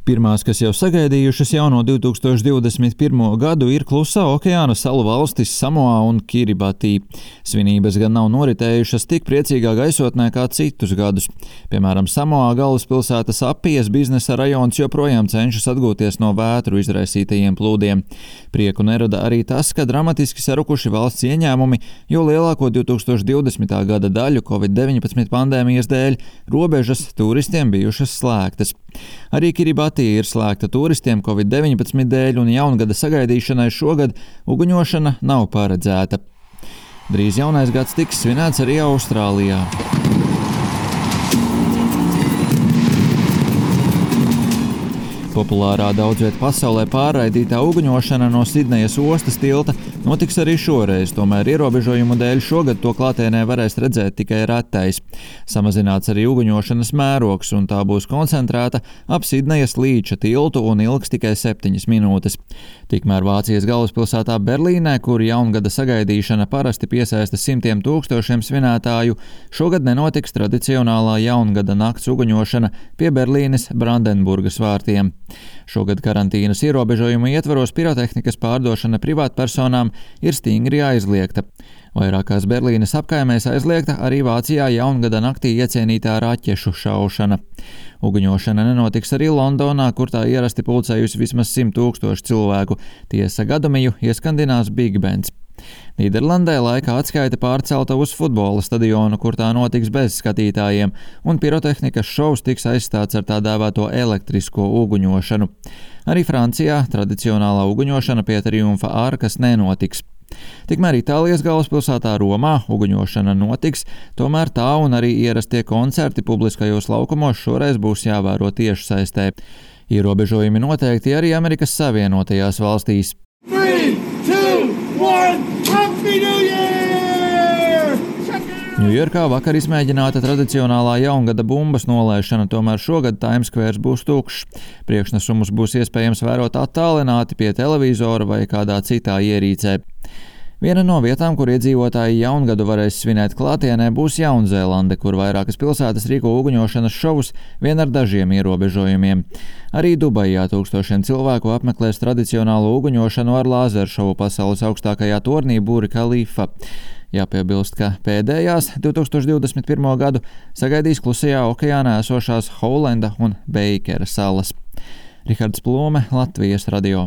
Pirmās, kas jau sagaidījušas jauno 2021. gadu, ir Klusā okeāna salu valstis Samoa un Kiribatī. Svinības gan nav noritējušas tik priecīgā gaisotnē kā citus gadus. Piemēram, Samoā galvaspilsētas Apijas biznesa rajons joprojām cenšas atgūties no vētru izraisītajiem plūdiem. Prieku nerada arī tas, ka dramatiski sarukuši valsts ieņēmumi, jo lielāko 2020. gada daļu Covid-19 pandēmijas dēļ robežas turistiem bijušas slēgtas. Arī Kiribatī ir slēgta turistiem Covid-19 dēļ, un jaungada sagaidīšanai šogad uguņošana nav paredzēta. Drīz jaunais gads tiks svinēts arī Austrālijā. Populārā daudzviet pasaulē pārraidītā uguņošana no Sidnejas ostas tilta notiks arī šoreiz, tomēr ierobežojumu dēļ šogad to klātienē varēs redzēt tikai retais. Samazināts arī uguņošanas mērogs, un tā būs koncentrēta ap Sidnejas līča tiltu un ilgs tikai 7 minūtes. Tikmēr Vācijas galvaspilsētā Berlīnē, kur jaungada sagaidīšana parasti piesaista simtiem tūkstošiem svinētāju, šogad nenotiks tradicionālā jaungada nakts uguņošana pie Berlīnes Brandenburgas vārtiem. Šogad karantīnas ierobežojumu ietvaros pirotehnikas pārdošana privātpersonām ir stingri aizliegta. Vairākās Berlīnes apkaimēs aizliegta arī Vācijā jaungada naktī iecienītā raķešu šaušana. Uguņošana nenotiks arī Londonā, kur tā ierasti pulcējusi vismaz 100 000 cilvēku. Tiesa gadumiju ieskandinās Big Bands. Nīderlandē laika atskaite pārcelta uz futbola stadionu, kur tā notiks bez skatītājiem, un pirotehnikas šovs tiks aizstāts ar tā dēvēto elektrisko uguņošanu. Arī Francijā tradicionālā uguņošana pie Triumfa arkas nenotiks. Tikmēr Itālijas galvaspilsētā Romā uguņošana notiks, tomēr tā un arī ierastie koncerti publiskajos laukumos šoreiz būs jāvēro tiešsaistē. Ierobežojumi noteikti arī Amerikas Savienotajās valstīs. 3, 2, 1, Happy New Year! Ņujorkā vakar izmēģināta tradicionālā jaungada bumbas nolaišana, tomēr šogad Times Square būs tukšs. Priekšnesumus būs iespējams vērot attālināti pie televizora vai kādā citā ierīcē. Viena no vietām, kur iedzīvotāji jaungadu varēs svinēt klātienē, būs Jaunzēlande, kur vairākas pilsētas rīko uguņošanas šovus vien ar dažiem ierobežojumiem. Arī Dubajā tūkstošiem cilvēku apmeklēs tradicionālo uguņošanu ar lāzeršovu pasaules augstākajā tornī Burj Khalifa. Jāpiebilst, ka pēdējās 2021. gadu sagaidīs Klusajā okeānā esošās Houlenda un Beikera salas. Rihards Plūme, Latvijas radio.